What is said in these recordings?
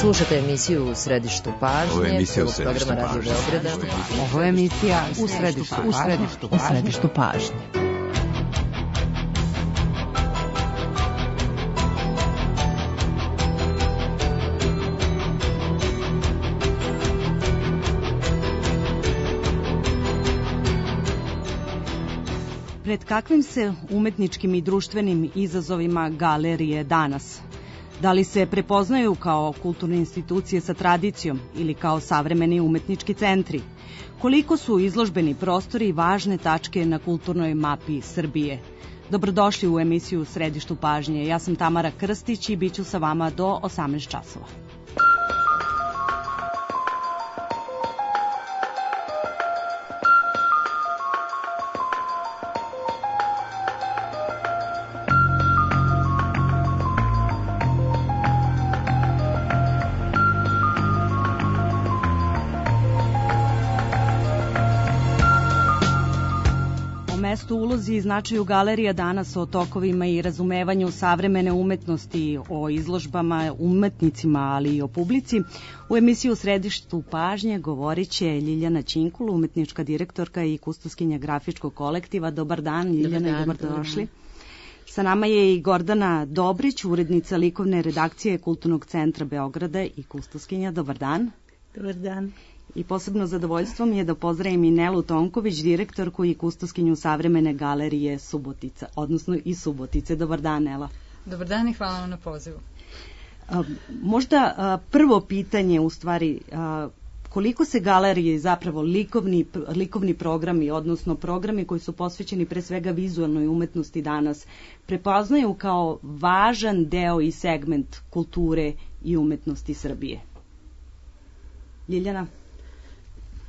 Slušate emisiju U središtu pažnje, prvog programa Radio Beograda. Ovo je emisija U središtu pažnje. Pred kakvim se umetničkim i društvenim izazovima galerije danas? Da li se prepoznaju kao kulturne institucije sa tradicijom ili kao savremeni umetnički centri? Koliko su izložbeni prostori važne tačke na kulturnoj mapi Srbije? Dobrodošli u emisiju Središtu pažnje. Ja sam Tamara Krstić i bit ću sa vama do 18 časova. U ulozi i značaju galerija danas, o tokovima i razumevanju savremene umetnosti, o izložbama, umetnicima, ali i o publici. U emisiju Središtu pažnje govorit će Ljiljana Ćinkul, umetnička direktorka i kustoskinja grafičkog kolektiva. Dobar dan, Ljiljana, i dobrodošli. Sa nama je i Gordana Dobrić, urednica likovne redakcije Kulturnog centra Beograda i kustoskinja. Dobar dan. Dobar dan. I posebno zadovoljstvo mi je da pozdravim i Nelu Tonković, direktorku i kustoskinju savremene galerije Subotica, odnosno iz Subotice. Dobar dan, Nela. Dobar dan i hvala vam na pozivu. Možda prvo pitanje, u stvari, koliko se galerije, zapravo likovni programi, odnosno programi koji su posvećeni pre svega vizualnoj umetnosti danas, prepoznaju kao važan deo i segment kulture i umetnosti Srbije? Ljiljana?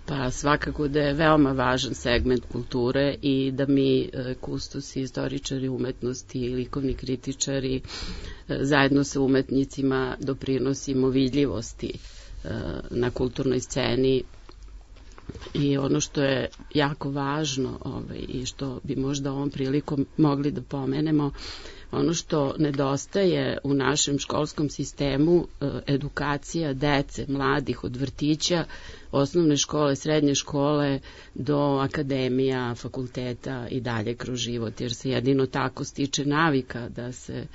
Pa svakako da je veoma važan segment kulture i da mi kustosi, istoričari umetnosti i likovni kritičari zajedno sa umetnicima doprinosimo vidljivosti na kulturnoj sceni. I ono što je jako važno i što bi možda ovom prilikom mogli da pomenemo, ono što nedostaje u našem školskom sistemu, edukacija dece, mladih, od vrtića, osnovne škole, srednje škole do akademija, fakulteta i dalje kroz život, jer se jedino tako stiče navika da se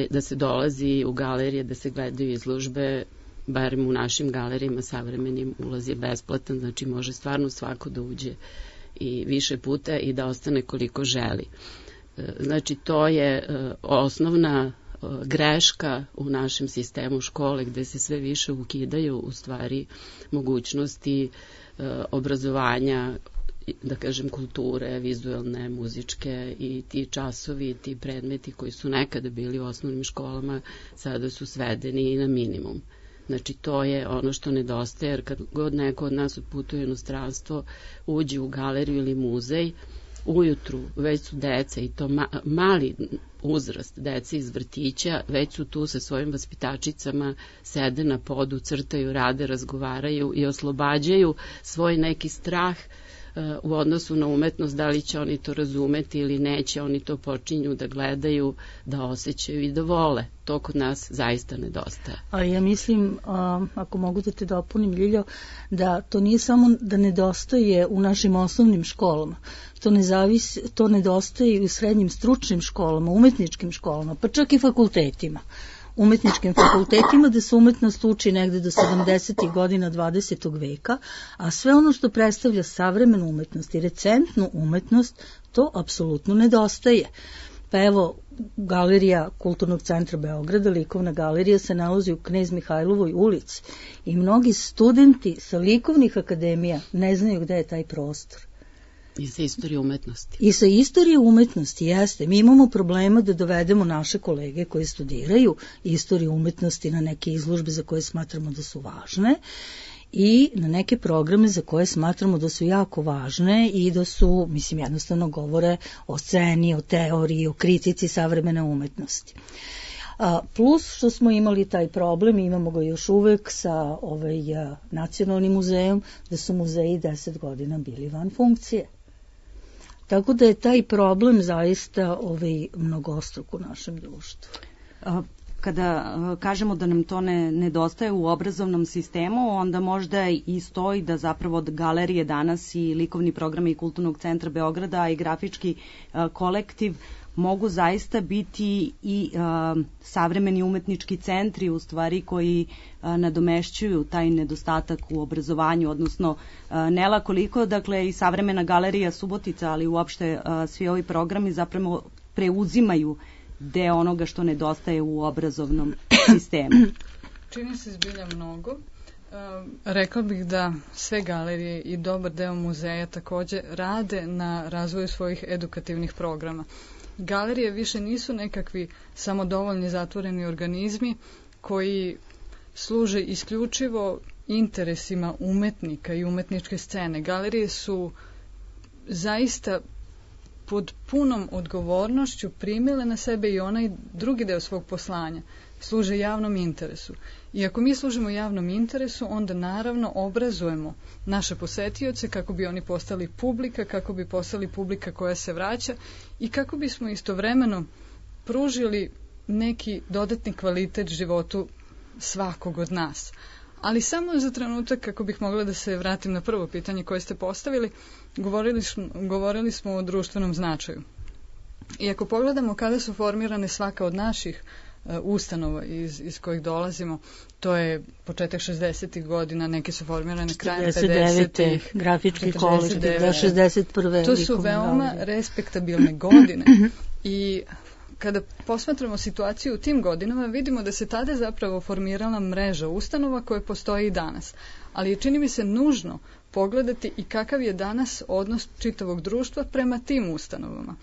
da se dolazi u galerije, da se gledaju izložbe. Barem u našim galerijama savremenim ulaz je besplatan, znači može stvarno svako da uđe i više puta i da ostane koliko želi. Znači to je osnovna greška u našem sistemu škole, gde se sve više ukidaju u stvari mogućnosti obrazovanja, da kažem kulture, vizualne, muzičke, i ti časovi, ti predmeti koji su nekada bili u osnovnim školama sada su svedeni i na minimum. Znači to je ono što nedostaje, jer kad god neko od nas odputuje u inostranstvo, uđe u galeriju ili muzej, ujutru već su deca, i to mali uzrast, deca iz vrtića, već su tu sa svojim vaspitačicama, sede na podu, crtaju, rade, razgovaraju i oslobađaju svoj neki strah u odnosu na umetnost, da li će oni to razumeti ili neće, oni to počinju da gledaju, da osjećaju i da vole. To kod nas zaista nedostaje. Ali ja mislim, ako mogu da te dopunim, Ljiljo, da to nije samo da nedostaje u našim osnovnim školama, to nedostaje i u srednjim stručnim školama, umetničkim školama, pa čak i fakultetima. Umetničkim fakultetima, da se umetnost uči negde do 70. godina 20. veka, a sve ono što predstavlja savremenu umetnost i recentnu umetnost, to apsolutno nedostaje. Pa evo, galerija Kulturnog centra Beograda, likovna galerija, se nalazi u Knez Mihajlovoj ulici i mnogi studenti sa likovnih akademija ne znaju gde je taj prostor. I sa istorije umetnosti. I sa istorije umetnosti, jeste. Mi imamo problema da dovedemo naše kolege koji studiraju istoriju umetnosti na neke izložbe za koje smatramo da su važne i na neke programe za koje smatramo da su jako važne i da su, mislim, jednostavno govore o sceni, o teoriji, o kritici savremene umetnosti. Plus što smo imali taj problem, imamo ga još uvek sa nacionalnim muzejom, da su muzeji 10 godina bili van funkcije. Tako da je taj problem zaista mnogostruk u našem društvu. kada kažemo da nam to nedostaje u obrazovnom sistemu, onda možda i stoji da zapravo od galerije danas i likovni programi i Kulturnog centra Beograda i grafički kolektiv mogu zaista biti i savremeni umetnički centri u stvari koji nadomešćuju taj nedostatak u obrazovanju, odnosno ne lako koliko, dakle i savremena galerija Subotica, ali uopšte svi ovi programi zapravo preuzimaju deo onoga što nedostaje u obrazovnom sistemu. Čini se zbilja mnogo. Rekla bih da sve galerije i dobar deo muzeja takođe rade na razvoju svojih edukativnih programa. Galerije više nisu nekakvi samodovoljni zatvoreni organizmi koji služe isključivo interesima umetnika i umetničke scene. Galerije su zaista pod punom odgovornošću primile na sebe i onaj drugi deo svog poslanja, služe javnom interesu. I ako mi služimo javnom interesu, onda naravno obrazujemo naše posetioce kako bi oni postali publika, kako bi postali publika koja se vraća i kako bismo istovremeno pružili neki dodatni kvalitet životu svakog od nas. Ali samo za trenutak, kako bih mogla da se vratim na prvo pitanje koje ste postavili, govorili smo o društvenom značaju. I ako pogledamo kada su formirane svaka od naših ustanova iz kojih dolazimo, to je početak 60. godina, neke su formirane krajem 50. grafički kolektiv, 61. To su veoma respektabilne godine i kada posmatramo situaciju u tim godinama, vidimo da se tada zapravo formirala mreža ustanova koje postoji i danas. Ali je, čini mi se, nužno pogledati i kakav je danas odnos čitavog društva prema tim ustanovama.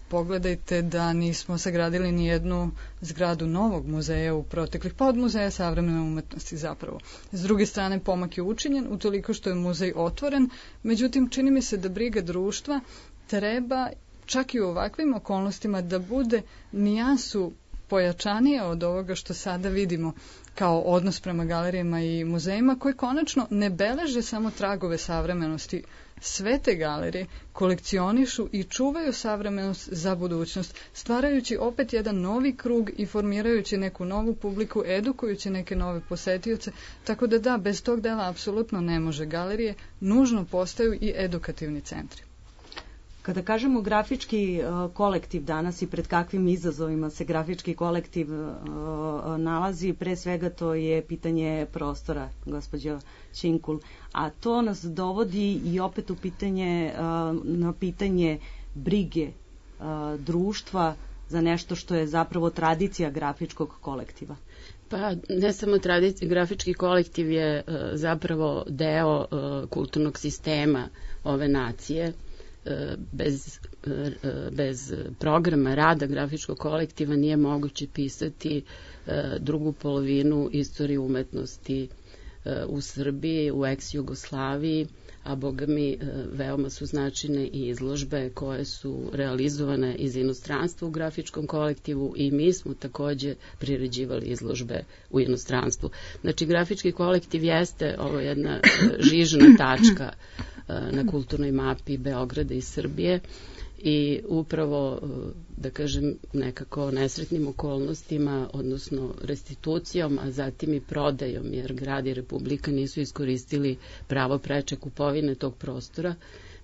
Pogledajte da nismo sagradili ni jednu zgradu novog muzeja u proteklih, pa od Muzeja savremene umetnosti zapravo. S druge strane, pomak je učinjen utoliko što je muzej otvoren, međutim, čini mi se da briga društva treba čak i u ovakvim okolnostima da bude nijansu pojačanija od ovoga što sada vidimo kao odnos prema galerijama i muzejima, koji konačno ne beleže samo tragove savremenosti. Sve te galerije kolekcionišu i čuvaju savremenost za budućnost, stvarajući opet jedan novi krug i formirajući neku novu publiku, edukujući neke nove posetioce, tako da bez tog dela apsolutno ne može. Galerije nužno postaju i edukativni centri. Kada kažemo grafički kolektiv danas i pred kakvim izazovima se grafički kolektiv nalazi, pre svega to je pitanje prostora, gospođo Činkul, a to nas dovodi i opet u na pitanje brige društva za nešto što je zapravo tradicija grafičkog kolektiva. Pa ne samo tradicija, grafički kolektiv je zapravo deo kulturnog sistema ove nacije. Bez programa rada grafičkog kolektiva nije moguće pisati drugu polovinu istorije umetnosti u Srbiji, u ex-Jugoslaviji, a boga mi veoma su značajne i izložbe koje su realizovane iz inostranstva u grafičkom kolektivu i mi smo takođe priređivali izložbe u inostranstvu. Znači, grafički kolektiv jeste ovo jedna žižna tačka na kulturnoj mapi Beograda i Srbije i upravo, da kažem, nekako nesretnim okolnostima, odnosno restitucijom, a zatim i prodajom, jer grad i Republika nisu iskoristili pravo preče kupovine tog prostora,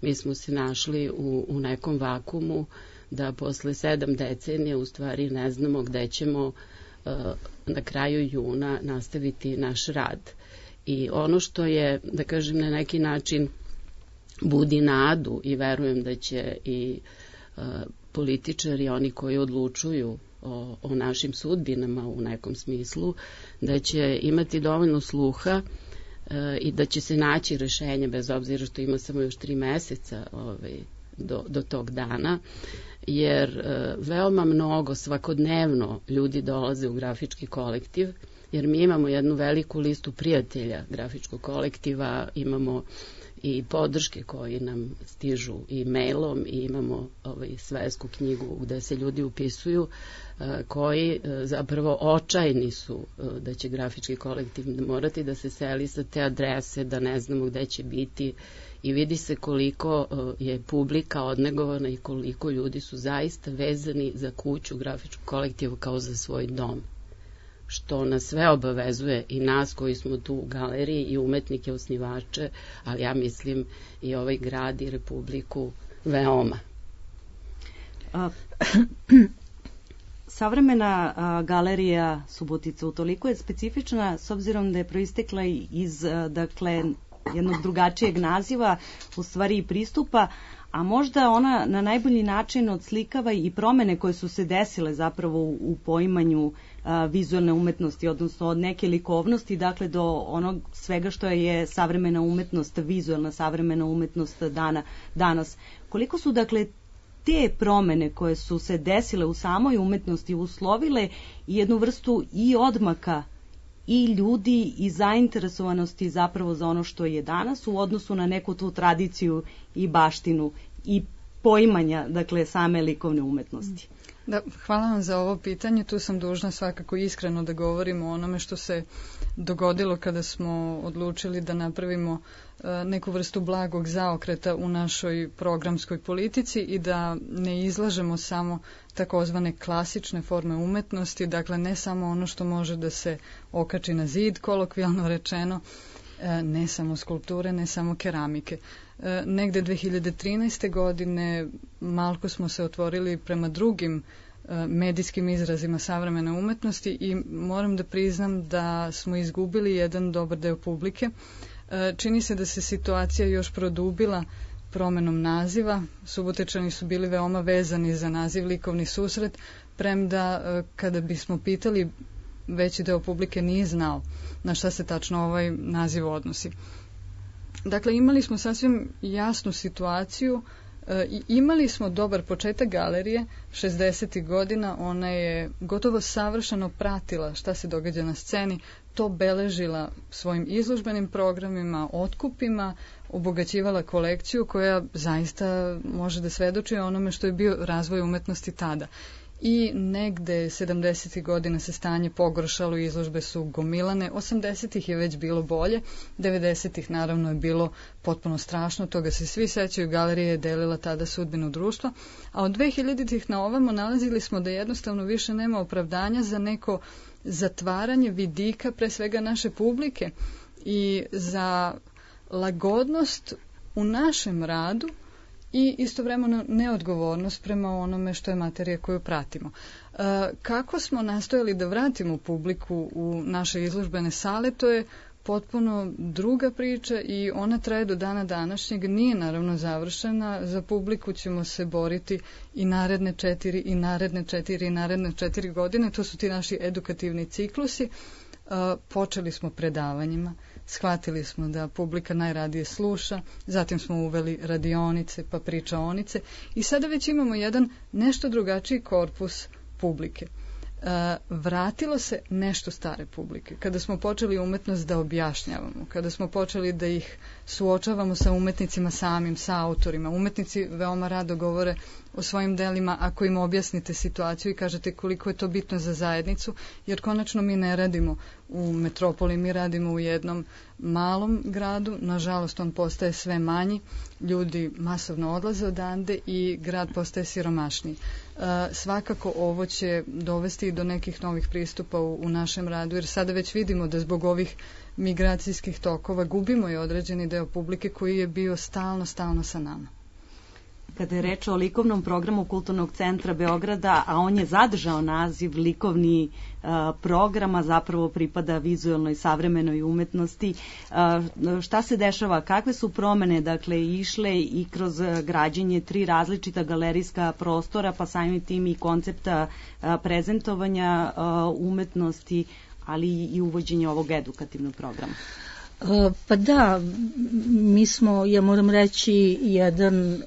mi smo se našli u nekom vakumu da posle 7 decenija u stvari ne znamo gde ćemo na kraju juna nastaviti naš rad. I ono što je, da kažem, na neki način budi nadu i verujem da će i političari, oni koji odlučuju o našim sudbinama u nekom smislu, da će imati dovoljno sluha i da će se naći rešenje, bez obzira što ima samo još 3 meseca do tog dana, jer veoma mnogo svakodnevno ljudi dolaze u grafički kolektiv, jer mi imamo jednu veliku listu prijatelja grafičkog kolektiva, imamo i podrške koji nam stižu i mailom i imamo svesku knjigu gde se ljudi upisuju koji zapravo očajni su da će grafički kolektiv morati da se seli sa te adrese, da ne znamo gde će biti i vidi se koliko je publika odnegovana i koliko ljudi su zaista vezani za kuću grafičkog kolektiva kao za svoj dom, što nas sve obavezuje i nas koji smo tu u galeriji i umetnike, osnivače, ali ja mislim i ovaj grad i Republiku veoma. Savremena galerija Subotica utoliko je specifična s obzirom da je proistekla iz jednog drugačijeg naziva, u stvari i pristupa, a možda ona na najbolji način odslikava i promene koje su se desile zapravo u poimanju vizualne umetnosti, odnosno od neke likovnosti, dakle do onog svega što je savremena umetnost, vizualna savremena umetnost danas. Koliko su dakle te promene koje su se desile u samoj umetnosti uslovile jednu vrstu i odmaka i ljudi i zainteresovanosti zapravo za ono što je danas u odnosu na neku tu tradiciju i baštinu i poimanja, dakle, same likovne umetnosti. Da, hvala vam za ovo pitanje. Tu sam dužna svakako iskreno da govorimo o onome što se dogodilo kada smo odlučili da napravimo neku vrstu blagog zaokreta u našoj programskoj politici i da ne izlažemo samo takozvane klasične forme umetnosti, dakle ne samo ono što može da se okači na zid, kolokvijalno rečeno, ne samo skulpture, ne samo keramike. Negde 2013. godine malko smo se otvorili prema drugim medijskim izrazima savremene umetnosti i moram da priznam da smo izgubili jedan dobar deo publike. Čini se da se situacija još produbila promenom naziva. Subotečani su bili veoma vezani za naziv likovni susret, premda kada bismo pitali, veći deo publike nije znao na šta se tačno ovaj naziv odnosi. Dakle, imali smo sasvim jasnu situaciju i imali smo dobar početak galerije 60. godina, ona je gotovo savršeno pratila šta se događa na sceni, to beležila svojim izložbenim programima, otkupima, obogaćivala kolekciju koja zaista može da svedoči o onome što je bio razvoj umetnosti tada. I negde 70. godina se stanje pogoršalo, izložbe su gomilane, 80. je već bilo bolje, 90. naravno je bilo potpuno strašno, toga se svi sećaju, galerija je delila tada sudbinu društva, a od 2000. na ovamo nalazili smo da jednostavno više nema opravdanja za neko zatvaranje vidika, pre svega naše publike, i za lagodnost u našem radu i istovremeno neodgovornost prema onome što je materija koju pratimo. Kako smo nastojali da vratimo publiku u naše izložbene sale, to je potpuno druga priča i ona traje do dana današnjeg, nije naravno završena, za publiku ćemo se boriti i naredne 4 i naredne 4 i naredne 4 godine, to su ti naši edukativni ciklusi. Počeli smo predavanjima, shvatili smo da publika najradije sluša, zatim smo uveli radionice pa pričaonice i sada već imamo jedan nešto drugačiji korpus publike. Vratilo se nešto stare publike. Kada smo počeli umetnost da objašnjavamo, kada smo počeli da ih suočavamo sa umetnicima samim, sa autorima. Umetnici veoma rado govore o svojim delima ako im objasnite situaciju i kažete koliko je to bitno za zajednicu, jer konačno mi ne radimo u metropoli, mi radimo u jednom malom gradu, nažalost on postaje sve manji, ljudi masovno odlaze odande i grad postaje siromašniji. Svakako ovo će dovesti do nekih novih pristupa u našem radu, jer sada već vidimo da zbog ovih migracijskih tokova gubimo i određeni deo publike koji je bio stalno sa nama. Kada je reč o likovnom programu Kulturnog centra Beograda, a on je zadržao naziv likovni programa, zapravo pripada vizualnoj savremenoj umetnosti. Šta se dešava? Kakve su promene, dakle, išle i kroz građenje 3 različita galerijska prostora, pa samim tim i koncepta prezentovanja umetnosti, ali i uvođenje ovog edukativnog programa? Pa da, mi smo, ja moram reći, jedan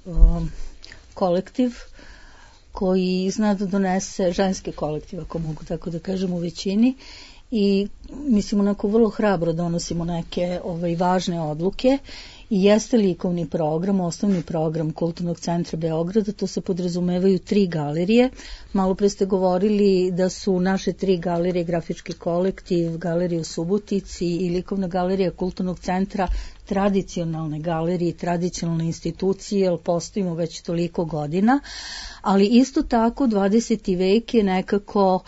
kolektiv koji zna da donese, ženski kolektiv, ako mogu tako da kažem, u većini, i mislim onako vrlo hrabro donosimo neke važne odluke i jeste likovni program, osnovni program Kulturnog centra Beograda, to se podrazumevaju 3 galerije. Malo pre ste govorili da su naše 3 galerije, grafički kolektiv, galerija u Subotici i likovna galerija Kulturnog centra tradicionalne galerije i tradicionalne institucije, jer postojimo već toliko godina, ali isto tako 20. vek je nekako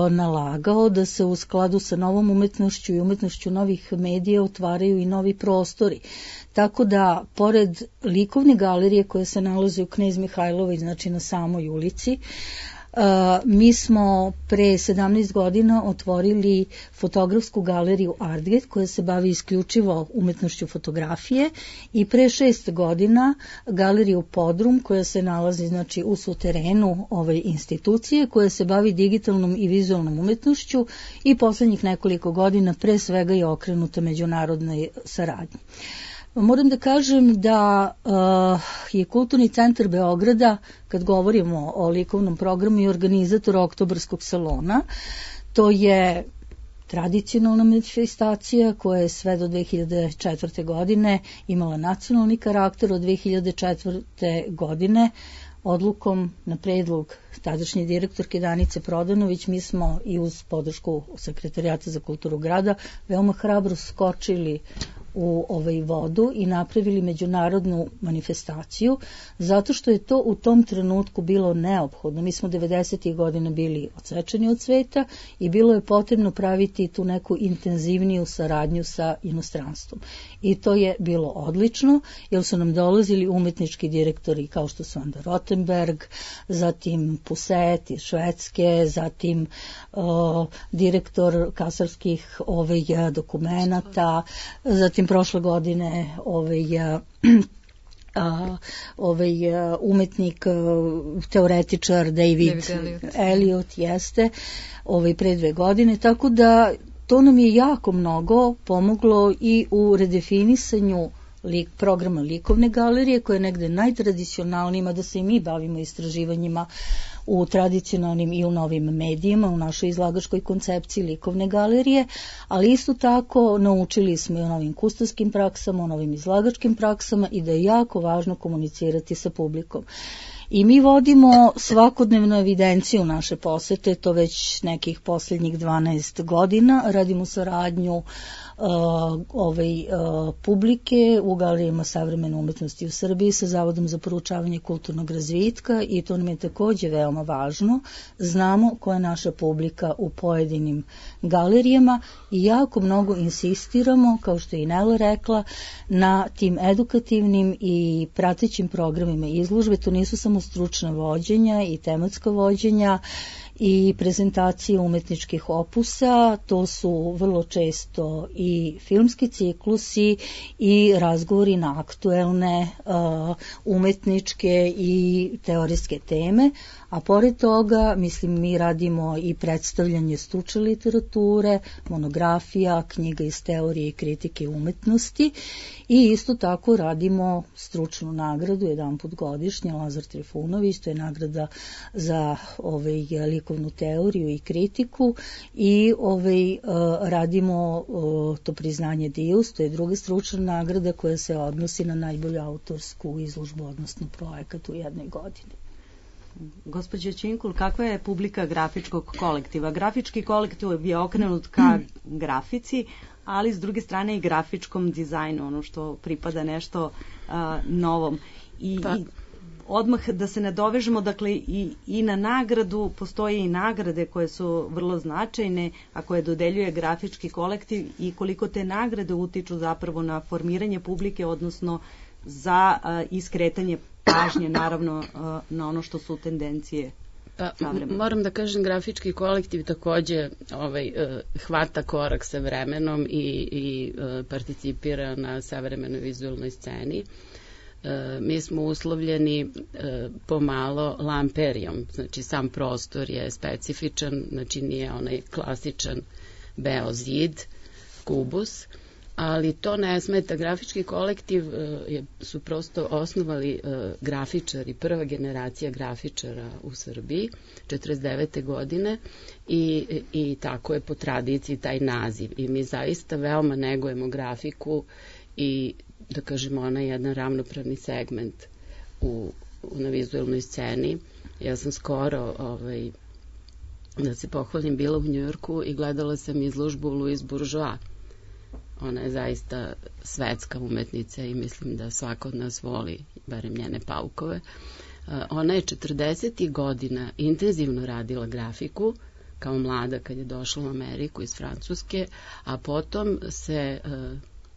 nalagao da se u skladu sa novom umetnošću i umetnošću novih medija otvaraju i novi prostori. Tako da, pored likovne galerije koja se nalazi u Knez Mihajlovoj, znači na samoj ulici, mi smo pre 17 godina otvorili fotografsku galeriju Artget koja se bavi isključivo umetnošću fotografije i pre 6 godina galeriju Podrum koja se nalazi znači u suterenu ove institucije koja se bavi digitalnom i vizualnom umetnošću i poslednjih nekoliko godina pre svega je okrenuta međunarodnoj saradnji. Moram da kažem da je Kulturni centar Beograda, kad govorimo o likovnom programu, i organizator Oktobarskog salona. To je tradicionalna manifestacija koja je sve do 2004. godine imala nacionalni karakter. Od 2004. godine odlukom na predlog tadašnje direktorke Danice Prodanović mi smo i uz podršku Sekretarijata za kulturu grada veoma hrabro skočili u vodu i napravili međunarodnu manifestaciju, zato što je to u tom trenutku bilo neophodno. Mi smo 90. godina bili odsečeni od sveta i bilo je potrebno praviti tu neku intenzivniju saradnju sa inostranstvom. I to je bilo odlično, jer su nam dolazili umetnički direktori kao što su Anda Rotenberg, zatim Puset iz Švedske, zatim direktor kasarskih dokumenata, zatim prošle godine umetnik, teoretičar David Elliot jeste pre 2 godine, tako da to nam je jako mnogo pomoglo i u redefinisanju programa likovne galerije koja je negde najtradicionalnijima, da se i mi bavimo istraživanjima u tradicionalnim i u novim medijima, u našoj izlagačkoj koncepciji likovne galerije, ali isto tako naučili smo i o novim kustarskim praksama, o novim izlagačkim praksama i da je jako važno komunicirati sa publikom. I mi vodimo svakodnevnu evidenciju naše posete, to već nekih posljednjih 12 godina, radimo saradnju publike u galerijama savremene umetnosti u Srbiji sa Zavodom za proučavanje kulturnog razvitka i to nam je takođe veoma važno. Znamo koja je naša publika u pojedinim galerijama i jako mnogo insistiramo, kao što je i Nela rekla, na tim edukativnim i pratećim programima izložbe. To nisu samo stručna vođenja i tematska vođenja i prezentacije umetničkih opusa, to su vrlo često i filmski ciklusi i razgovori na aktuelne umetničke i teorijske teme, a pored toga, mislim, mi radimo i predstavljanje stručne literature, monografija, knjiga iz teorije i kritike umetnosti i isto tako radimo stručnu nagradu jedanput godišnje, Lazar Trifunović, to je nagrada za likovnu teoriju i kritiku i radimo to priznanje Dius, to je druga stručna nagrada koja se odnosi na najbolju autorsku izložbu, odnosno projekat u jednoj godini. Gospođo Činkul, kakva je publika grafičkog kolektiva? Grafički kolektiv je okrenut ka grafici, ali s druge strane i grafičkom dizajnu, ono što pripada nešto novom. I odmah da se nadovežemo, dakle i na nagradu, postoje i nagrade koje su vrlo značajne, a koje dodeljuje grafički kolektiv i koliko te nagrade utiču zapravo na formiranje publike, odnosno za iskretanje pažnje, naravno, na ono što su tendencije. Moram da kažem, grafički kolektiv takođe hvata korak sa vremenom i participira na savremenoj vizualnoj sceni. Mi smo uslovljeni pomalo lamperijom, znači sam prostor je specifičan, znači nije onaj klasičan beo zid, kubus, ali to ne smeta. Grafički kolektiv su prosto osnovali grafičari, prva generacija grafičara u Srbiji, 49. godine i tako je po tradiciji taj naziv. I mi zaista veoma negujemo grafiku i da kažemo ona je jedan ravnopravni segment na vizualnoj sceni. Ja sam skoro da se pohvalim bila u Njujorku i gledala sam izložbu Louis Bourgeois Ona je zaista svetska umetnica i mislim da svako od nas voli, barem njene paukove. Ona je 40. godina intenzivno radila grafiku, kao mlada kad je došla u Ameriku iz Francuske, a potom se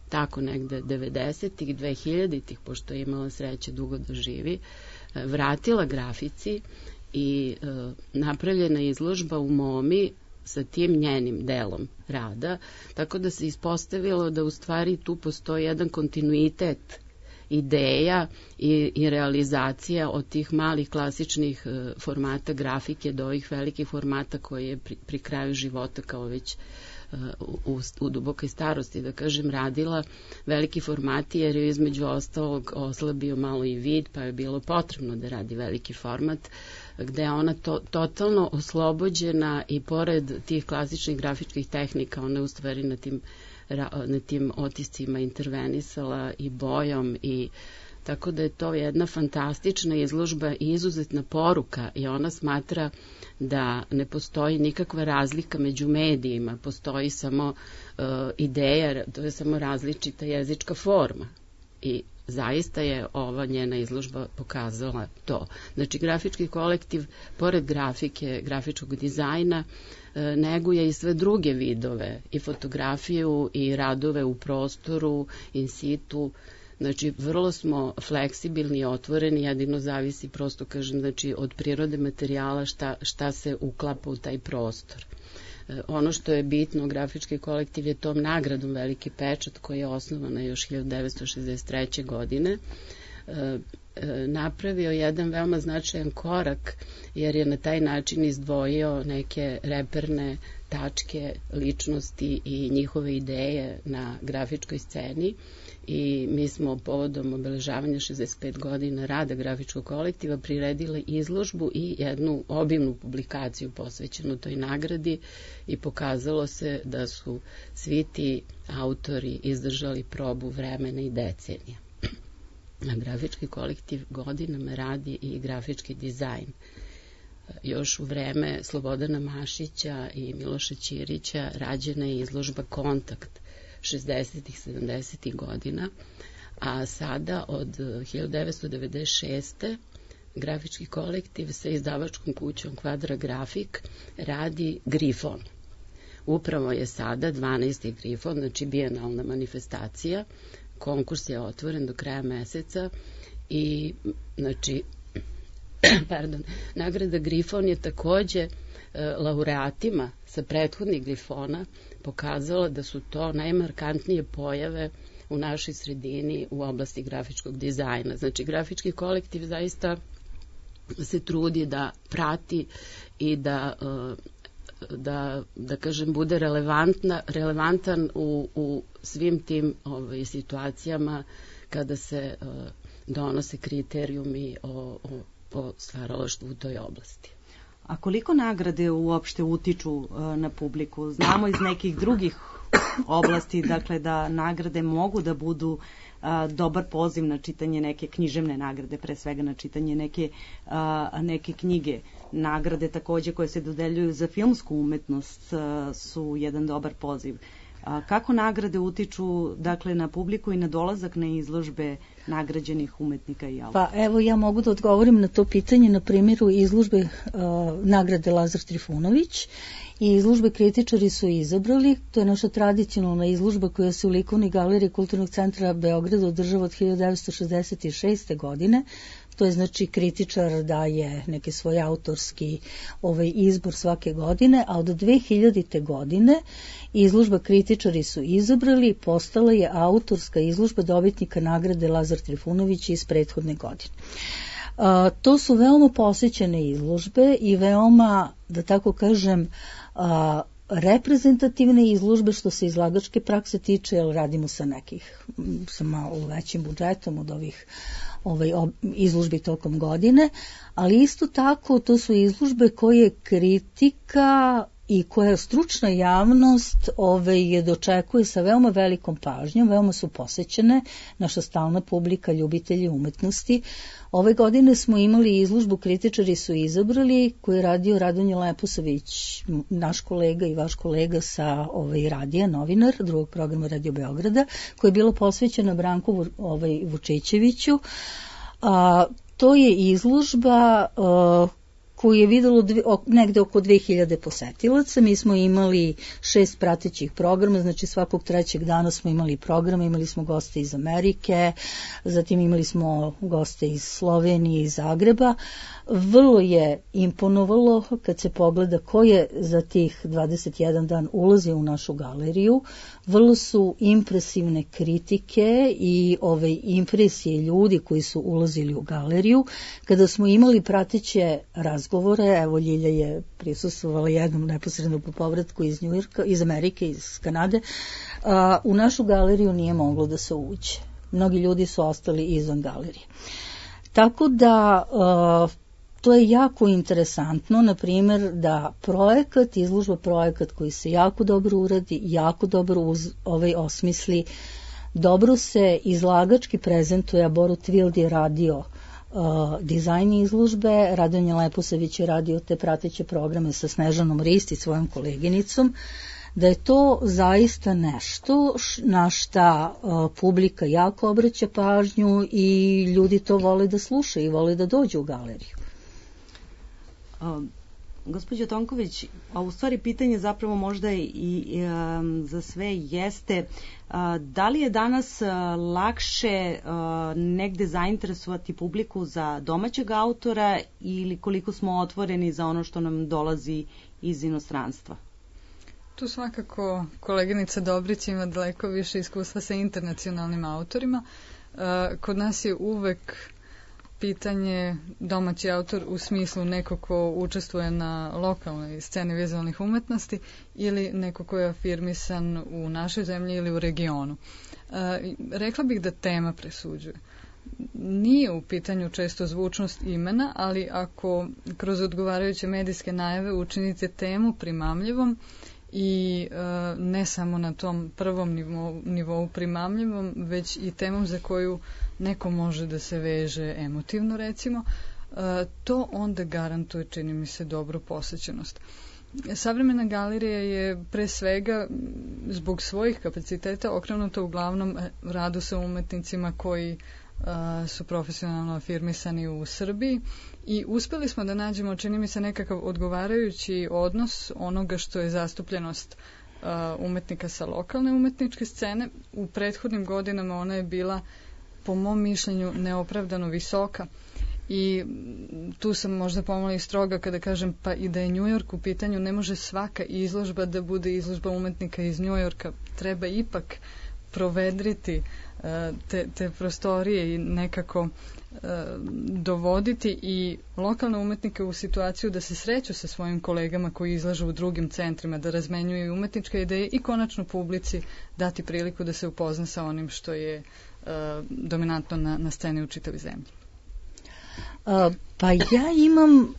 tako negde 90-ih, 2000-ih, pošto je imala sreće dugo da živi, vratila grafici i napravljena izložba u MoMI sa tim njenim delom rada, tako da se ispostavilo da u stvari tu postoji jedan kontinuitet ideja i realizacija od tih malih klasičnih formata grafike do ovih velikih formata koji je pri kraju života kao već u dubokoj starosti, da kažem, radila veliki formati jer je između ostalog oslabio malo i vid, pa je bilo potrebno da radi veliki format, gde je ona totalno oslobođena i pored tih klasičnih grafičkih tehnika, ona je u stvari na tim otiscima intervenisala i bojom i tako da je to jedna fantastična izložba i izuzetna poruka i ona smatra da ne postoji nikakva razlika među medijima, postoji samo ideja, to je samo različita jezička forma i zaista je ova njena izložba pokazala to. Znači, grafički kolektiv, pored grafike, grafičkog dizajna, neguje i sve druge vidove, i fotografiju, i radove u prostoru, in situ. Znači, vrlo smo fleksibilni i otvoreni, jedino zavisi, prosto kažem, znači, od prirode materijala šta se uklapa u taj prostor. Ono što je bitno, grafički kolektiv je tom nagradom Veliki pečat, koja je osnovana još 1963. godine, napravio jedan veoma značajan korak, jer je na taj način izdvojio neke reperne tačke ličnosti i njihove ideje na grafičkoj sceni i mi smo povodom obeležavanja 65 godina rada grafičkog kolektiva priredili izložbu i jednu obimnu publikaciju posvećenu toj nagradi i pokazalo se da su svi ti autori izdržali probu vremena i decenija. Grafički kolektiv godinama radi i grafički dizajn. Još u vreme Slobodana Mašića i Miloša Ćirića rađena je izložba Kontakt 60-ih, 70-ih godina, a sada od 1996. grafički kolektiv sa izdavačkom kućom Kvadra Grafik radi Grifon. Upravo je sada 12. Grifon, znači bijenalna manifestacija. Konkurs je otvoren do kraja meseca i znači nagrada Grifon je takođe laureatima sa prethodnih Grifona pokazala da su to najmarkantnije pojave u našoj sredini u oblasti grafičkog dizajna. Znači, grafički kolektiv zaista se trudi da prati i da kažem, bude relevantan u svim tim situacijama kada se donose kriterijumi o stvaralaštvu u toj oblasti. A koliko nagrade uopšte utiču na publiku? Znamo iz nekih drugih oblasti, dakle, da nagrade mogu da budu dobar poziv na čitanje neke književne nagrade, pre svega na čitanje neke knjige. Nagrade takođe koje se dodeljuju za filmsku umetnost su jedan dobar poziv. Kako nagrade utiču, dakle, na publiku i na dolazak na izložbe nagrađenih umetnika i autora? Pa evo, ja mogu da odgovorim na to pitanje na primjeru izložbe nagrade Lazar Trifunović i izložbe kritičari su izabrali. To je naša tradicionalna izložba koja se u likovnoj galeriji Kulturnog centra Beograda održava od 1966. godine. To je znači kritičar daje neki svoj autorski izbor svake godine, a od 2000. godine izložba kritičari su izabrali, postala je autorska izložba dobitnika nagrade Lazar Trifunović iz prethodne godine. To su veoma posjećene izložbe i veoma, da tako kažem, reprezentativne izložbe što se izlagačke prakse tiče, jer radimo sa malo većim budžetom od ovih izložbi tokom godine, ali isto tako to su izložbe koje kritika i koja stručna javnost je dočekuje sa veoma velikom pažnjom, veoma su posećene, naša stalna publika, ljubitelji umetnosti. Ove godine smo imali izložbu Kritičari su izabrali, koju je radio Radonje Leposavić, naš kolega i vaš kolega sa radija, novinar drugog programa Radio Beograda, koja je bila posvećena Branku Vučićeviću. To je izložba koju je videlo negde oko 2000 posetilaca. Mi smo imali 6 pratećih programa, znači svakog trećeg dana smo imali programa, imali smo goste iz Amerike, zatim imali smo goste iz Slovenije i Zagreba. Vrlo je imponovalo kad se pogleda ko je za tih 21 dan ulazio u našu galeriju. Vrlo su impresivne kritike i impresije ljudi koji su ulazili u galeriju. Kada smo imali prateće razgovore, evo Ljilja je prisustvovala jednom neposredno po povratku iz Njujorka, iz Amerike, iz Kanade, u našu galeriju nije moglo da se uđe. Mnogi ljudi su ostali izvan galerije. Tako da to je jako interesantno, na primjer, da izložba projekat koji se jako dobro uradi, jako dobro osmisli, dobro se izlagački prezentuje, a Borut Vild je radio dizajn izložbe, Radonje Leposavić je radio te prateće programe sa Snežanom Risti, svojom koleginicom, da je to zaista nešto na šta publika jako obraća pažnju i ljudi to vole da slušaju i vole da dođu u galeriju. Gospođo Tonković, a u stvari pitanje zapravo možda i za sve jeste da li je danas lakše negde zainteresovati publiku za domaćeg autora ili koliko smo otvoreni za ono što nam dolazi iz inostranstva? Tu svakako koleginica Dobrić ima daleko više iskustva sa internacionalnim autorima. Kod nas je uvek pitanje domaći autor u smislu neko ko učestvuje na lokalnoj sceni vizualnih umetnosti ili neko ko je afirmisan u našoj zemlji ili u regionu. Rekla bih da tema presuđuje. Nije u pitanju često zvučnost imena, ali ako kroz odgovarajuće medijske najave učinite temu primamljivom i ne samo na tom prvom nivou primamljivom, već i temom za koju neko može da se veže emotivno, recimo, to onda garantuje, čini mi se, dobru posećenost. Savremena galerija je pre svega zbog svojih kapaciteta okrenuta uglavnom radu sa umetnicima koji su profesionalno afirmisani u Srbiji i uspeli smo da nađemo, čini mi se, nekakav odgovarajući odnos onoga što je zastupljenost umetnika sa lokalne umetničke scene. U prethodnim godinama ona je bila, po mom mišljenju, neopravdano visoka i tu sam možda pomalo i stroga kada kažem pa i da je Njujork u pitanju, ne može svaka izložba da bude izložba umetnika iz Njujorka, treba ipak provedriti te prostorije i nekako dovoditi i lokalne umetnike u situaciju da se sreću sa svojim kolegama koji izlažu u drugim centrima, da razmenjuju umetničke ideje i konačno publici dati priliku da se upozna sa onim što je dominantno na sceni u čitavoj zemlji. Pa ja imam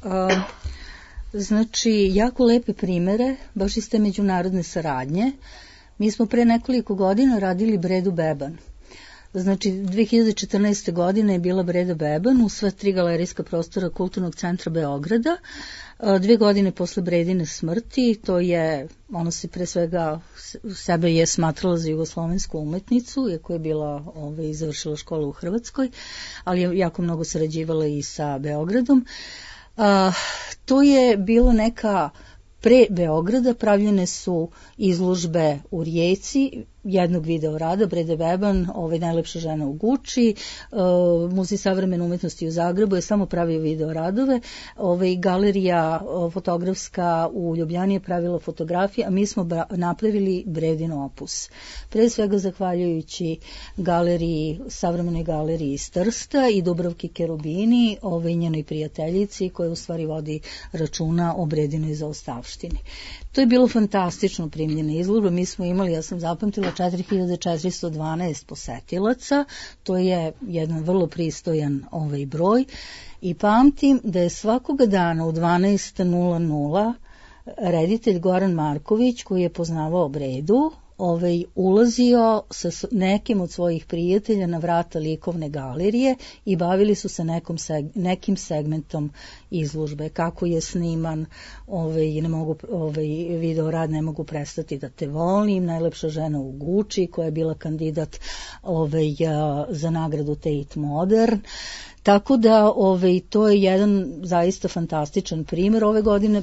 jako lepe primere, baš iz te međunarodne saradnje. Mi smo pre nekoliko godina radili Bredu Beban. Znači, 2014. godine je bila Breda Beban u sva 3 galerijska prostora Kulturnog centra Beograda. 2 godine posle Bredine smrti, to je, ona se pre svega sebe je smatrala za jugoslovensku umetnicu, iako je bila završila školu u Hrvatskoj, ali je jako mnogo sarađivala i sa Beogradom. To je bilo neka pre Beograda, pravljene su izložbe u Rijeci, jednog video rada, Brede Beban, najlepša žena u Guči, Muzej savremene umetnosti u Zagrebu je samo pravio video radove, galerija fotografska u Ljubljani je pravila fotografije, a mi smo napravili Bredin opus. Pre svega zahvaljujući savremenoj galeriji iz Trsta i Dubravki Kerubini, njenoj prijateljici koja u stvari vodi računa o Bredinoj zaostavštini. To je bilo fantastično primljena izložba. Mi smo imali, ja sam zapamtila, 4412 posetilaca. To je jedan vrlo pristojan broj. I pamtim da je svakoga dana u 12:00 reditelj Goran Marković, koji je poznavao Bredu, ulazio sa nekim od svojih prijatelja na vrata likovne galerije i bavili su se nekim segmentom izložbe, kako je sniman video rad Ne mogu prestati da te volim, Najlepša žena u Guči, koja je bila kandidat za nagradu Tate Modern. Tako da to je jedan zaista fantastičan primjer.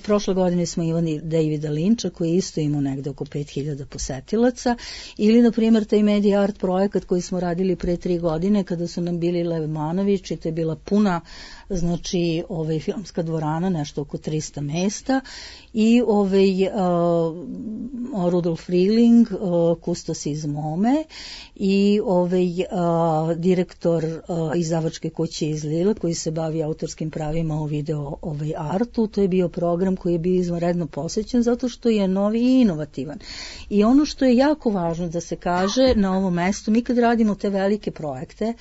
Prošle godine smo imali Davida Linča, koji isto imao negde oko 5000 posetilaca, ili na primjer taj Media Art projekat koji smo radili pre 3 godine kada su nam bili Lev Manović, i to je bila puna filmska dvorana, nešto oko 300 mesta, i Rudolf Rilling, kustos iz Mome, i direktor izdavačke kuće iz Lila, koji se bavi autorskim pravima o video artu. To je bio program koji je bio izvanredno posećen zato što je novi i inovativan. I ono što je jako važno da se kaže na ovom mestu, mi kad radimo te velike projekte,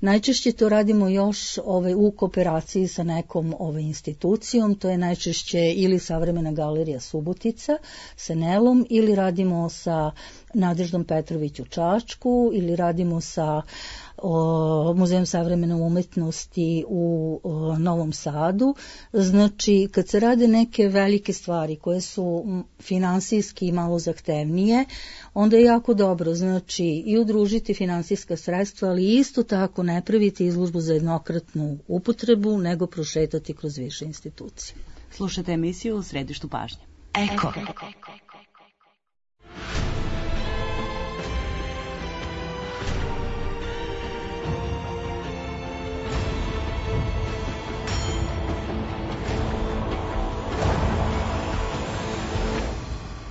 najčešće to radimo još u kooperaciji sa nekom institucijom, to je najčešće ili Savremena galerija Subotica sa Nelom, ili radimo sa Nadeždom Petrović u Čačku, ili radimo sa Muzejem savremene umetnosti u Novom Sadu. Znači, kad se rade neke velike stvari koje su finansijski malo zahtevnije, onda je jako dobro, znači, i udružiti finansijska sredstva, ali isto tako ne praviti izložbu za jednokratnu upotrebu, nego prošetati kroz više institucije. Slušajte emisiju u Središtu pažnje. Eko.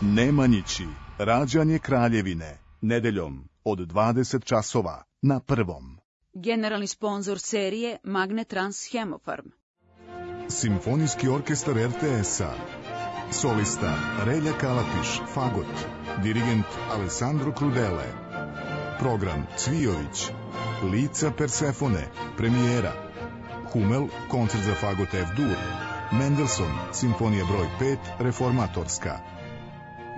Nemanjići, rađanje Kraljevine, nedeljom od 20 časova na Prvom. Generalni sponzor serije Magnetrans Hemofarm. Simfonijski orkestar RTS-a. Solista Relja Kalapiš, fagot. Dirigent Alessandro Crudele. Program Cvijović. Lica Persefone, premijera. Hummel, koncert za fagot F-dur. Mendelssohn, simfonija broj 5, reformatorska.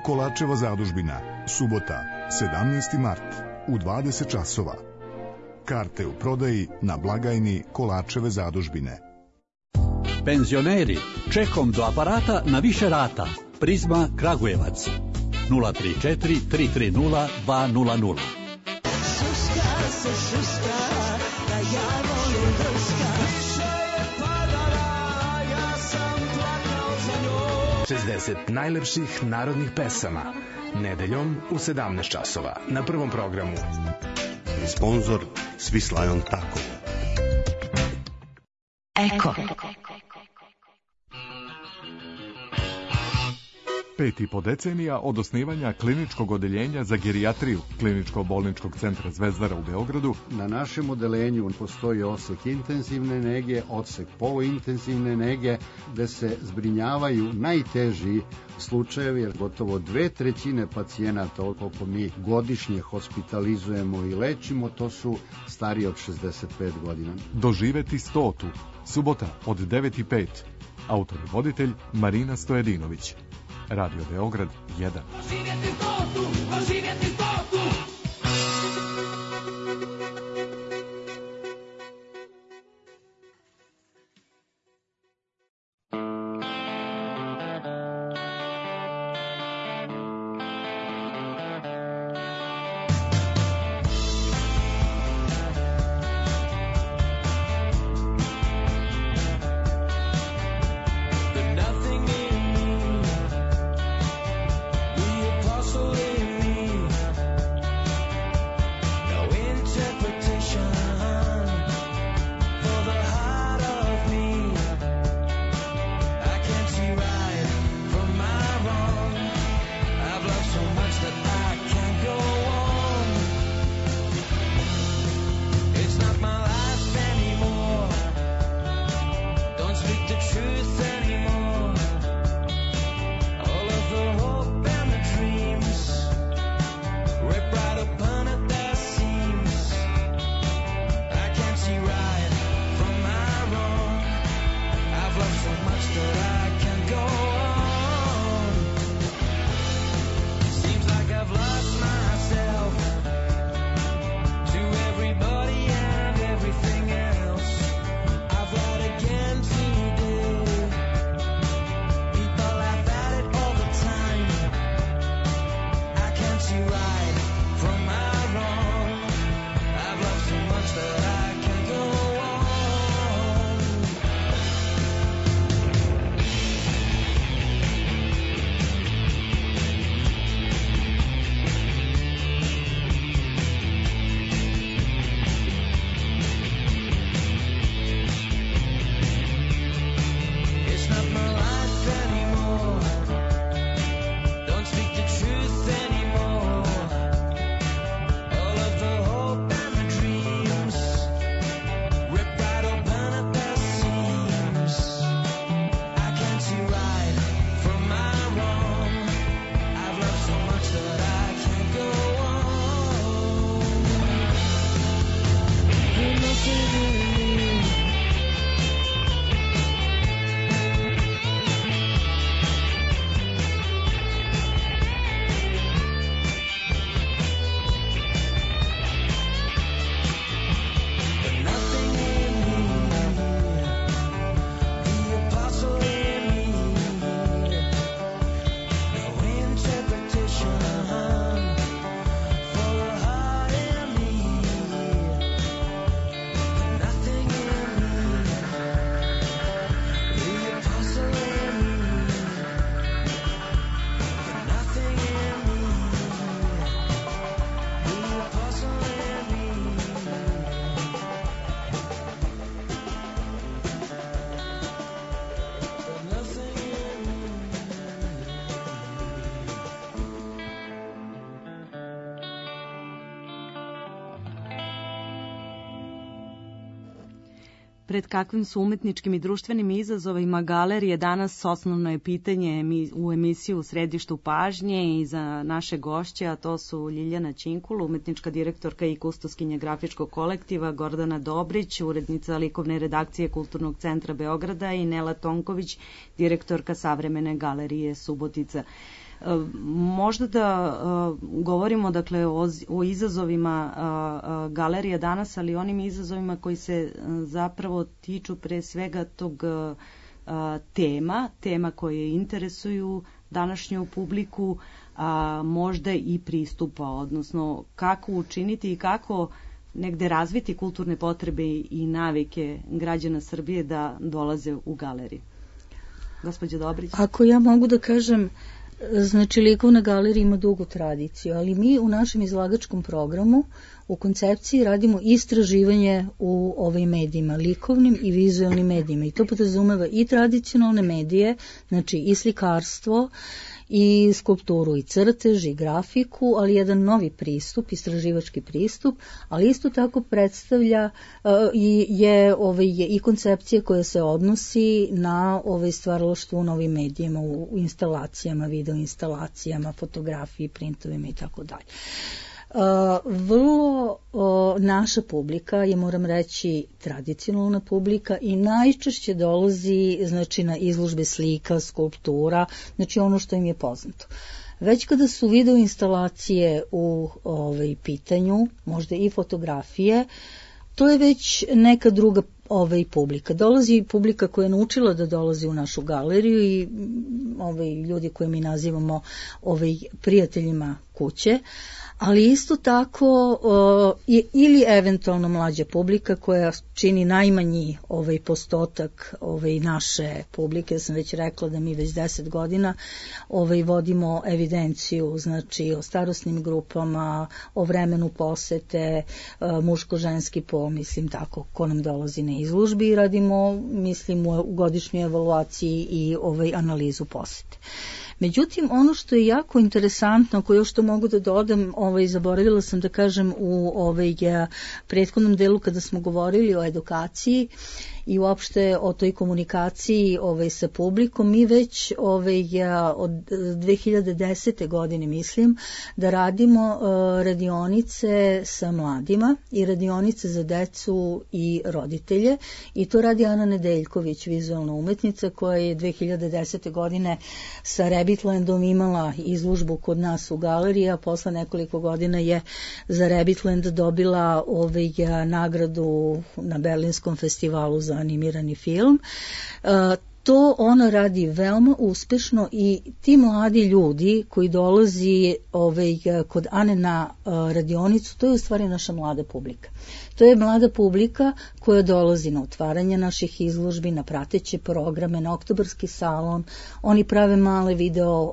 Kolačeva zadužbina, subota, 17. mart, u 20 časova. Karte u prodaji na blagajni Kolačeve zadužbine. Penzioneri, čekom do aparata na više rata. Prizma Kragujevac, 034 330 200. Šuška se šuška, da ja volim drška. Ja sam plakao za njoj. 60 najlepših narodnih pesama. Nedeljom u 17 časova na Prvom programu. Sponzor Swiss Lion Taco. Eko. 5,5 decenija od osnivanja kliničkog odeljenja za gerijatriju Kliničko-bolničkog centra Zvezdara u Beogradu. Na našem odeljenju postoji odsek intenzivne nege, odsek poluintenzivne nege, gde se zbrinjavaju najteži slučajevi, jer gotovo 2/3 pacijenata, koliko mi godišnje hospitalizujemo i lečimo, to su stariji od 65 godina. Doživeti 100. Subota od 9:05. Autor i voditelj Marina Stojedinović. Radio Beograd 1. Doživjeti 100, doživjeti 100. Nothing in me, the apostle in me. Pred kakvim su umetničkim i društvenim izazovima galerije danas, osnovno je pitanje u emisiju U središtu pažnje i za naše gošće, a to su Ljiljana Činkul, umetnička direktorka i kustoskinja grafičkog kolektiva, Gordana Dobrić, urednica likovne redakcije Kulturnog centra Beograda i Nela Tonković, direktorka Savremene galerije Subotica. Možda da govorimo dakle o izazovima galerije danas, ali onim izazovima koji se zapravo tiču pre svega tog tema koje interesuju današnju publiku, a možda i pristupa, odnosno kako učiniti i kako negde razviti kulturne potrebe i navike građana Srbije da dolaze u galeriju. Gospođa Dobrić. Ako ja mogu da kažem, znači likovna galerija ima dugu tradiciju, ali mi u našem izlagačkom programu u koncepciji radimo istraživanje u ovim medijima, likovnim i vizualnim medijima, i to podrazumeva i tradicionalne medije, znači i slikarstvo, i skulpturu, i crtež, i grafiku, ali jedan novi pristup, istraživački pristup, ali isto tako predstavlja je i koncepcija koja se odnosi na stvaralaštvo u novim medijima, u instalacijama, video instalacijama, fotografiji, printovima i tako dalje. Vrlo naša publika je, moram reći, tradicionalna publika i najčešće dolazi znači na izložbe slika, skulptura, znači ono što im je poznato. Već kada su video instalacije u pitanju, možda i fotografije, to je već neka druga publika. Dolazi publika koja je naučila da dolazi u našu galeriju i ljudi koje mi nazivamo prijateljima kuće, ali isto tako ili eventualno mlađa publika koja čini najmanji postotak naše publike. Ja sam već rekla da mi već 10 godina vodimo evidenciju, znači o starosnim grupama, o vremenu posete, muško-ženski pol, mislim tako, ko nam dolazi na izložbi, i radimo, mislim, u godišnjoj evaluaciji i analizu posete. Međutim, ono što je jako interesantno, koje još to mogu da dodam, zaboravila sam da kažem u prethodnom delu kada smo govorili o edukaciji i uopšte o toj komunikaciji sa publikom, mi već od 2010. godine mislim da radimo radionice sa mladima i radionice za decu i roditelje, i to radi Ana Nedeljković, vizualna umetnica koja je 2010. godine sa Rabbitlandom imala izložbu kod nas u galeriji, a posle nekoliko godina je za Rabbitland dobila nagradu na Berlinskom festivalu za animirani film. To ona radi veoma uspešno i ti mladi ljudi koji dolazi kod Ane na radionicu, to je u stvari naša mlada publika. To je mlada publika koja dolazi na otvaranje naših izložbi, na prateće programe, na oktobarski salon. Oni prave male video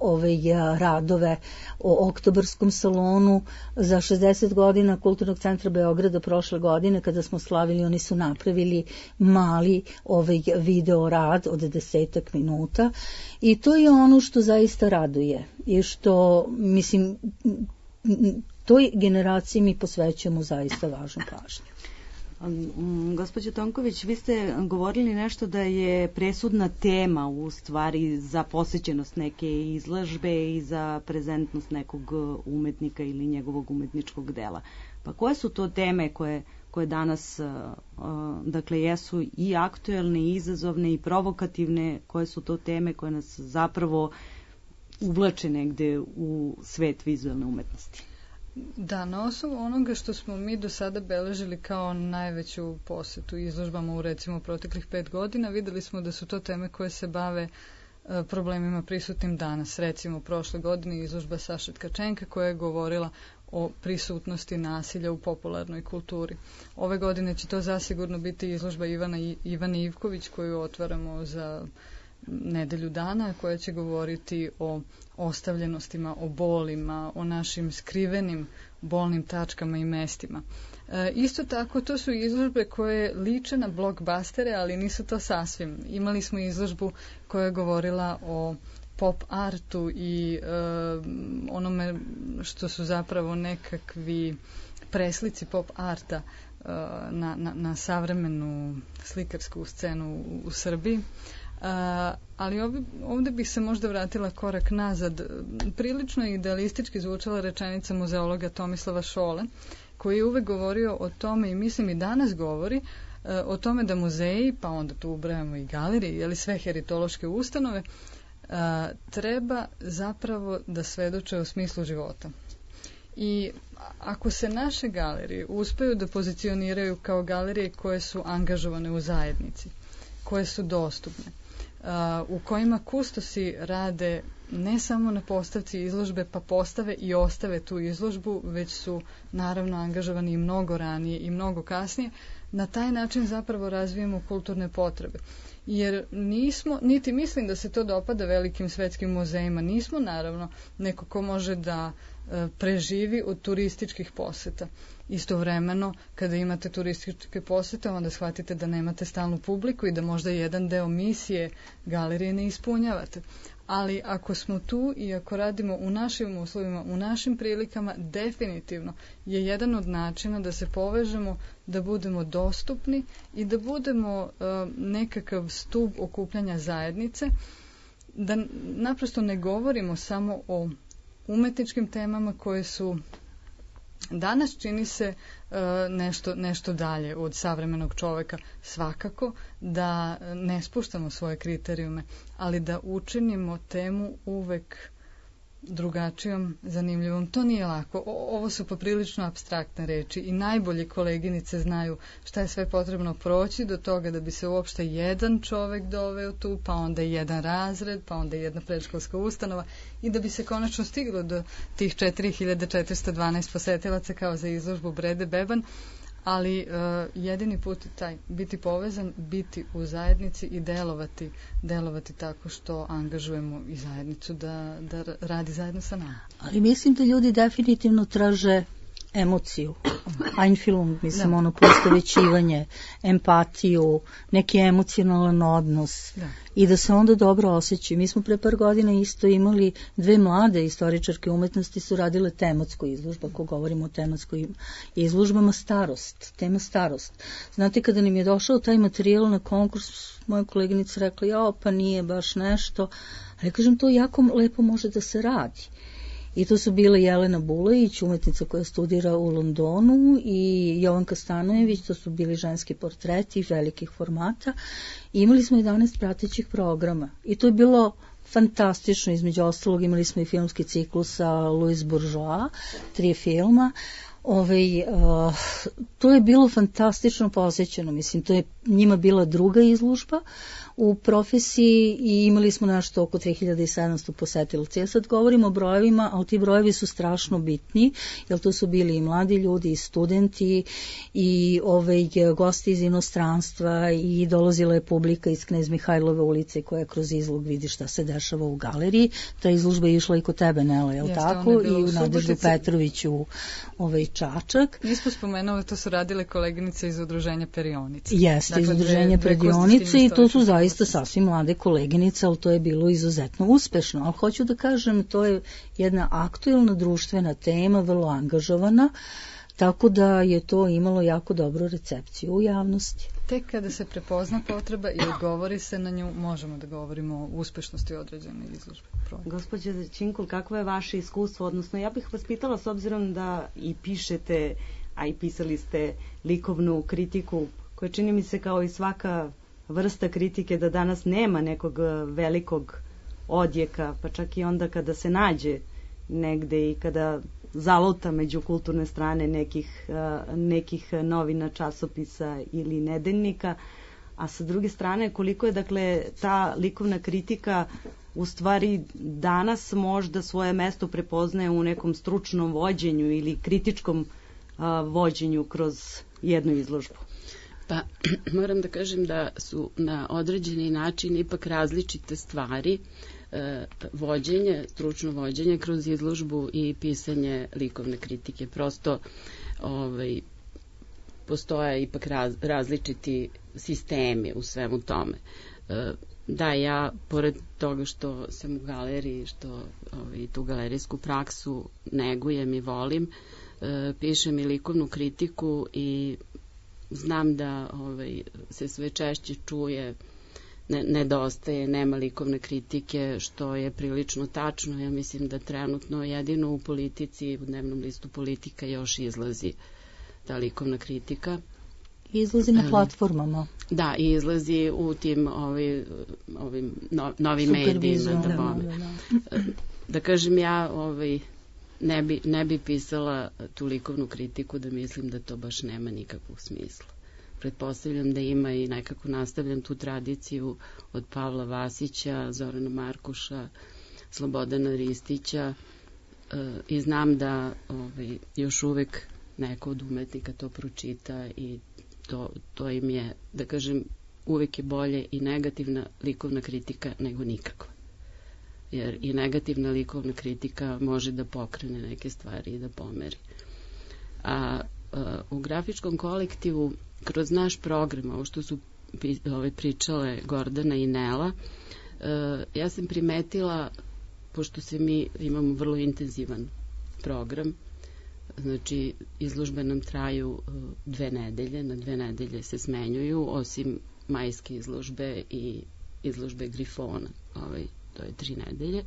radove o oktobarskom salonu. Za 60 godina Kulturnog centra Beograda prošle godine, kada smo slavili, oni su napravili mali video rad od 10 minuta, i to je ono što zaista raduje i što, mislim, toj generaciji mi posvećujemo zaista važnu pažnju. Gospođo Tonković, vi ste govorili nešto da je presudna tema u stvari za posjećenost neke izložbe i za prezentnost nekog umetnika ili njegovog umetničkog dela. Pa koje su to teme koje danas dakle jesu i aktuelne, i izazovne, i provokativne, koje su to teme koje nas zapravo uvlače negde u svet vizualne umetnosti? Da, na osnovu onoga što smo mi do sada beležili kao najveću posetu izložbama u recimo proteklih 5 godina, videli smo da su to teme koje se bave problemima prisutnim danas. Recimo prošle godine izložba Saše Tkačenka koja je govorila o prisutnosti nasilja u popularnoj kulturi. Ove godine će to zasigurno biti izložba Ivane Ivković koju otvaramo za nedelju dana, koja će govoriti o ostavljenostima, o bolima, o našim skrivenim bolnim tačkama i mestima. Isto tako, to su izložbe koje liče na blockbustere, ali nisu to sasvim. Imali smo izložbu koja je govorila o pop artu i onome što su zapravo nekakvi preslici pop arta na savremenu slikarsku scenu u Srbiji. Ali ovde bih se možda vratila korak nazad. Prilično idealistički zvučala rečenica muzeologa Tomislava Šole, koji je uvek govorio o tome, i mislim i danas govori, o tome da muzeji, pa onda tu ubrajamo i galerije, ili sve heritološke ustanove, treba zapravo da svedoče o smislu života. I ako se naše galerije uspeju da pozicioniraju kao galerije koje su angažovane u zajednici, koje su dostupne, u kojima kustosi rade ne samo na postavci izložbe, pa postave i ostave tu izložbu, već su naravno angažovani i mnogo ranije i mnogo kasnije, na taj način zapravo razvijemo kulturne potrebe. Jer nismo, niti mislim da se to dopada velikim svetskim muzejima, nismo naravno neko ko može da preživi od turističkih poseta. Istovremeno, kada imate turističke posete, onda shvatite da nemate stalnu publiku i da možda jedan deo misije galerije ne ispunjavate. Ali ako smo tu i ako radimo u našim uslovima, u našim prilikama, definitivno je jedan od načina da se povežemo, da budemo dostupni i da budemo nekakav stub okupljanja zajednice, da naprosto ne govorimo samo o umetničkim temama koje su danas, čini se, nešto dalje od savremenog čoveka. Svakako da ne spuštamo svoje kriterijume, ali da učinimo temu uvek drugačijom, zanimljivom. To nije lako. Ovo su poprilično apstraktne reči i najbolje koleginice znaju šta je sve potrebno proći do toga da bi se uopšte jedan čovek doveo tu, pa onda jedan razred, pa onda jedna predškolska ustanova i da bi se konačno stiglo do tih 4412 posetilaca kao za izložbu Brede Beban. Ali jedini put je taj, biti povezan, biti u zajednici i delovati tako što angažujemo i zajednicu da radi zajedno sa nama. Ali mislim da ljudi definitivno traže emociju, Einfühlung, mislim, ono poistovećivanje, empatiju, neki emocionalan odnos i da se onda dobro osjećaju. Mi smo pre par godina isto imali dve mlade istoričarke umetnosti su radile tematsku izložbu, ako govorimo o tematskim izložbama, tema starost. Znate, kada nam je došao taj materijal na konkurs, moja koleginica rekla, pa nije baš nešto, ali kažem, to jako lepo može da se radi. I to su bile Jelena Bulajić, umetnica koja studira u Londonu, i Jovanka Stanojević, to su bili ženski portreti velikih formata. I imali smo 11 pratećih programa i to je bilo fantastično. Između ostalog imali smo i filmski ciklus sa Louis Bourgeois, 3 filma. To je bilo fantastično posjećeno, mislim, to je njima bila druga izložba u profesiji i imali smo nešto oko 3700 posetilaca. Ja sad govorim o brojevima, ali ti brojevi su strašno bitni, jer to su bili i mladi ljudi, i studenti, i gosti iz inostranstva, i dolazila je publika iz Knez Mihajlove ulice koja kroz izlog vidi šta se dešava u galeriji. Ta izložba je išla i kod tebe, Nela, je li tako? I u Nadeždu Petroviću Čačak. Nismo spomenuli, to su radile koleginice iz udruženja Perionice. Jeste, iz udruženja Perionice, i to su zaista sasvim mlade koleginice, ali to je bilo izuzetno uspešno. Ali hoću da kažem, to je jedna aktuelna društvena tema, vrlo angažovana, tako da je to imalo jako dobru recepciju u javnosti. Tek kada se prepozna potreba i odgovori se na nju, možemo da govorimo o uspešnosti određene izložbe. Gospođa Činkul, kakvo je vaše iskustvo? Odnosno, ja bih vas pitala, s obzirom da i pišete, a i pisali ste likovnu kritiku, koja čini mi se kao i svaka vrsta kritike da danas nema nekog velikog odjeka, pa čak i onda kada se nađe negde i kada zaluta među kulturne strane nekih novina, časopisa ili nedeljnika, a sa druge strane koliko je dakle ta likovna kritika u stvari danas možda svoje mesto prepoznaje u nekom stručnom vođenju ili kritičkom vođenju kroz jednu izložbu. Pa moram da kažem da su na određeni način ipak različite stvari, stručno vođenje kroz izložbu i pisanje likovne kritike. Prosto postoje ipak različiti sistemi u svemu tome. Da, ja, pored toga što sam u galeriji, što tu galerijsku praksu negujem i volim, pišem i likovnu kritiku i znam da se sve češće čuje nedostaje, nema likovne kritike, što je prilično tačno. Ja mislim da trenutno jedino u politici, u dnevnom listu Politika još izlazi ta likovna kritika. Izlazi na platformama. Da, i izlazi u tim ovim novim medijima. Da kažem, ja ne bi pisala tu likovnu kritiku da mislim da to baš nema nikakvog smisla. Pretpostavljam da ima i nekako nastavljam tu tradiciju od Pavla Vasića, Zorana Markuša, Slobodana Ristića i znam da još uvek neko od umetnika to pročita i to im je, da kažem, uvek je bolje i negativna likovna kritika nego nikakva. Jer i negativna likovna kritika može da pokrene neke stvari i da pomeri. A u grafičkom kolektivu, kroz naš program, ovo što su pričale Gordana i Nela, ja sam primetila, pošto mi imamo vrlo intenzivan program, znači izložbe nam traju 2 nedelje, na 2 nedelje se smenjuju, osim majske izložbe i izložbe Grifona, to je 3 nedelje.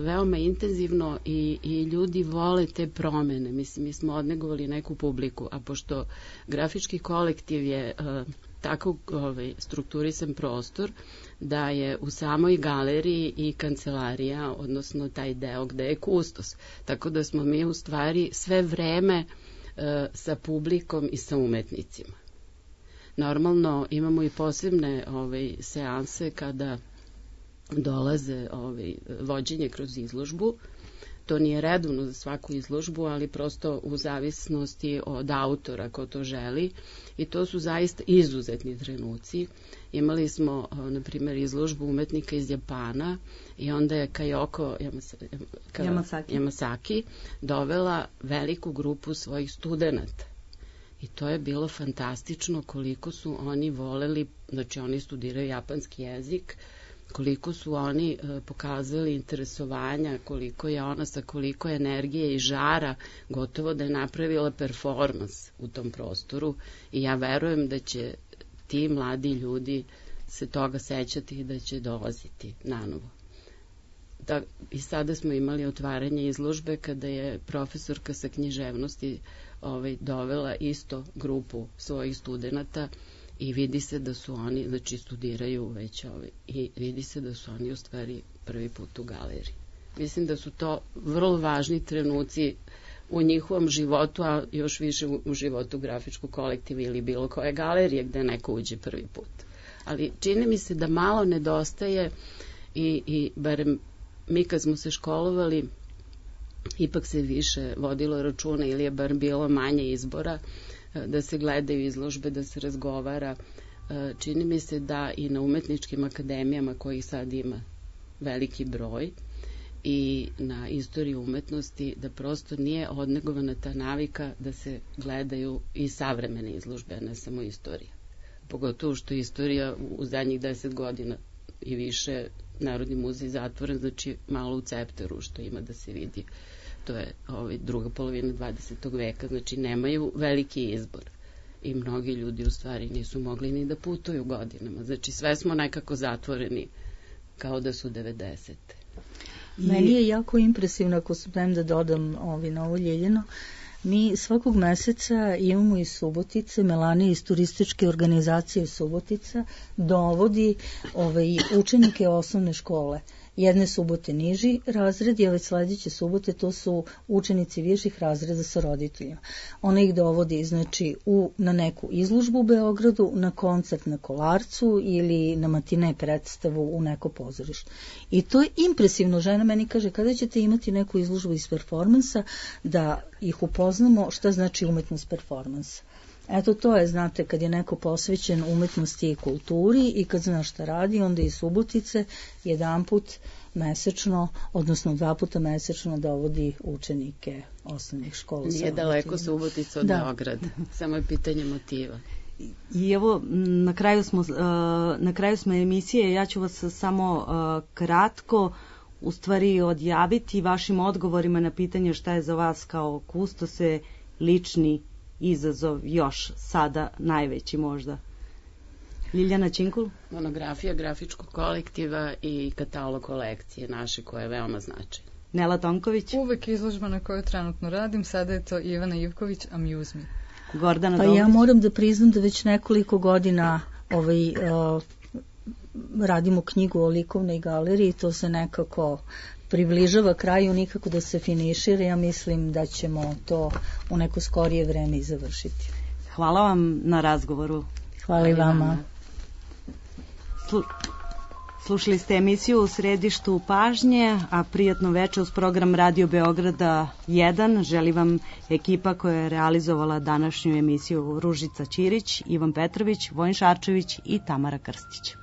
Veoma intenzivno i ljudi vole te promene. Mislim, mi smo odnegovali neku publiku, a pošto grafički kolektiv je tako strukturisan prostor da je u samoj galeriji i kancelarija, odnosno taj deo gde je kustos. Tako da smo mi u stvari sve vreme sa publikom i sa umetnicima. Normalno imamo i posebne seanse kada dolaze vođenje kroz izložbu. To nije redovno za svaku izložbu, ali prosto u zavisnosti od autora ko to želi i to su zaista izuzetni trenuci. Imali smo, na primjer, izložbu umetnika iz Japana i onda je Kayoko Yamasaki dovela veliku grupu svojih studenata. I to je bilo fantastično koliko su oni voleli, znači oni studiraju japanski jezik, koliko su oni pokazali interesovanja, koliko je ona sa koliko energije i žara gotovo da je napravila performans u tom prostoru i ja verujem da će ti mladi ljudi se toga sećati i da će dolaziti nanovo. I sada smo imali otvaranje izložbe kada je profesorka sa književnosti dovela isto grupu svojih studenata i vidi se da su oni, znači studiraju već i vidi se da su oni u stvari prvi put u galeriji. Mislim da su to vrlo važni trenuci u njihovom životu, a još više u životu grafičkog kolektiva ili bilo koje galerije gde neko uđe prvi put. Ali čini mi se da malo nedostaje i barem mi kad smo se školovali ipak se više vodilo računa ili je bar bilo manje izbora da se gledaju izložbe, da se razgovara. Čini mi se da i na umetničkim akademijama kojih sad ima veliki broj i na istoriji umetnosti da prosto nije odnegovana ta navika da se gledaju i savremene izložbe, a ne samo istorija. Pogotovo što je istorija u zadnjih 10 godina i više Narodni muzej zatvoren, znači malo u Cepteru što ima da se vidi. To je druga polovina 20. veka, znači nemaju veliki izbor. I mnogi ljudi u stvari nisu mogli ni da putuju godinama. Znači sve smo nekako zatvoreni kao da su 90. Meni je jako impresivno, ako smijem da dodam na ovo Ljeljeno, mi svakog meseca imamo iz Subotice, Melanija iz turističke organizacije Subotica dovodi učenike osnovne škole. Jedne subote niži razredi, a već sledeće subote to su učenici viših razreda sa roditeljima. Ona ih dovodi na neku izložbu u Beogradu, na koncert na Kolarcu ili na matine predstavu u neko pozorište. I to je impresivno. Žena meni kaže, kada ćete imati neku izložbu iz performansa, da ih upoznamo šta znači umetnost performansa. Eto to je, znate, kad je neko posvećen umetnosti i kulturi i kad zna šta radi, onda i Subotice jedanput mesečno, odnosno 2 puta mesečno dovodi učenike osnovnih škola. Nije daleko Subotica od Beograda, samo je pitanje motiva. I evo, na kraju smo emisije, ja ću vas samo kratko u stvari odjaviti vašim odgovorima na pitanje šta je za vas kao kustose lični izazov još sada najveći možda? Ljiljana Činkul? Monografija grafičkog kolektiva i katalog kolekcije naše koje je veoma značajno. Nela Tonković? Uvek izložba na kojoj trenutno radim, sada je to Ivana Ivković, Amuse Me. Gordana Pa Dobrić? ja moram da priznam da već nekoliko godina radimo knjigu o likovnoj galeriji, to se nekako približava kraju, nikako da se finišira. Ja mislim da ćemo to u neko skorije vreme i završiti. Hvala vam na razgovoru. Hvala i vama. Slušali ste emisiju U središtu pažnje, a prijatno večer uz program Radio Beograda 1. Želi vam ekipa koja je realizovala današnju emisiju: Ružica Ćirić, Ivan Petrović, Vojin Šarčević i Tamara Krstić.